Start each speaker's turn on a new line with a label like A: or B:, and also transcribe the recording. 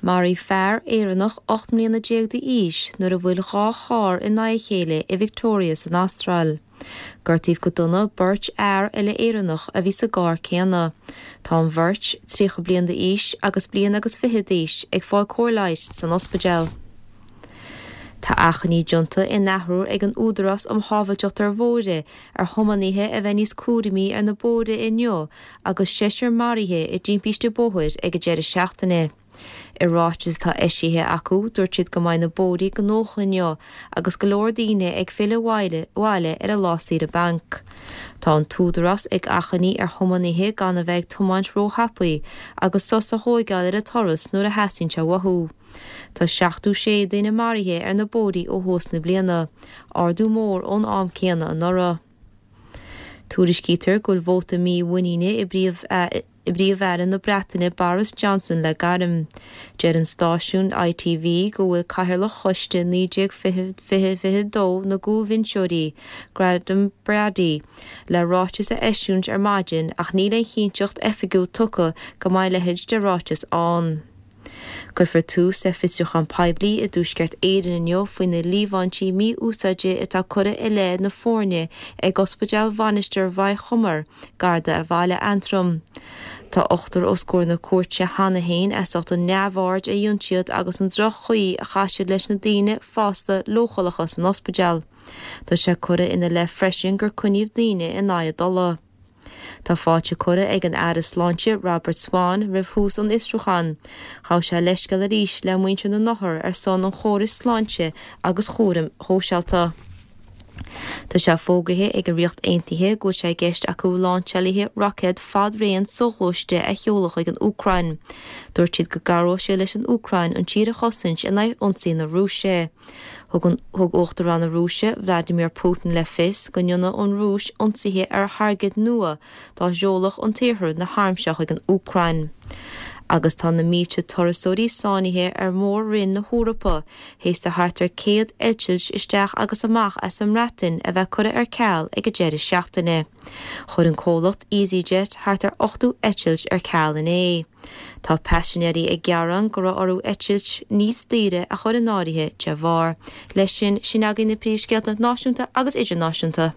A: Maraíodh fear Éireannach 18 mbliana d'aois nuair a bhuail 2 charr in aghaidh a chéile i Victoria san Astráil. Gortaíodh go dona beirt fhear eile Éireannach a bhí sa gcarr céanna. Tá an bheirt, 30 bliain d'aois agus bliain agus fiche d'aois, ag fáil cóir leighis san ospidéal. Tá achainí déanta in athuair ag an Údarás um Shábháilteacht ar Bhóithre ar thiománaithe a bheith níos cúramaí ar na bóithre inniu agus seisear maraithe i dtimpiste bóthair ag an deireadh seachtaine. I ráiteas atá eisithe acu, dúirt siad go mbeidh na bóithre gnóthach inniu agus go leor daoine ag filleadh abhaile ar a lá saoire bainc. Tá an tÚdarás ag achainí ar thiománaithe gan a bheith ag tiomáint róthapaidh agus sos a thóigeáil ar an turas nuair a theastaíonn sé uathu. Tá 76 duine maraithe ar na bóithrí ó thús na bliana, ardú mór ón am céanna anuraidh. Tuairiscítear go bhfuil vóta mímhuiníne i bPríomh-Aire na Breataine Boris Johnson le gairm. Deir an stáisiún ITV go bhfuil cathaoirleach choiste 1922 na gcúlbhinseoirí, Graham Brady, le ráiteas a eisiúint ar maidin ach níl aon chinnteacht oifigiúil tugtha go mbeidh a leithéid de ráiteas ann. Cuirfear tús le fiosrúchán poiblí i dTuaisceart Éireann inniu faoi na líomhaintí mí-úsáide atá curtha i leith na foirne ag Ospidéal Mhainistir Mhaigh Chomair gar do bhaile Aontroim. Tá ochtar os comhair na cúirte cheana féin as ucht an neamhaird a dhein siad agus an droch-chaoi a chaith siad leis na daoine fásta leochaileacha san ospidéal. Tá sé curtha ina leith freisin gur coinníodh daoine in aghaidh a dtola. Tá fáilte curtha ag an Aire Sláinte Robert Swan roimh thús an fhiosrúcháin. Ghabh sé leithscéal arís le muintir na n-othar ar son an chórais sláinte agus chúraim shóisialta. Tá sé fógraithe ag an Ríocht Aontaithe go bhfuil sé i gceist acu láinseálaithe roicéad fad-raon soghluaiste a sheoladh chuig an Úcráin. Dúirt siad go gcabhróidh sé leis an Úcráin an tír a chosaint in aghaidh ionsaí na Rúise. Thug Uachtarán na Rúise, Vladimir Putin le fios go ndéanfadh an Rúis ionsaithe ar thairgid nua dá seolfadh an tIarthar na hairm seo chuig an Úcráin. Agus tá na mílte turasóirí sáinnithe ar mhór-roinn na hEorpa théis do thart ar 100 eitilt isteach agus amach as an mBreatain a bheith curtha ar ceal ag an deireadh seachtaine. Chuir an comhlacht easyJet thart ar 80 eitilt ar ceal inné. Tá paisinéirí ag gearán go raibh orthu eitilt níos daoire a chur in áirithe de bharr. Leis sin, sin againn na príomhscéalta náisiúnta agus idirnáisiúnta.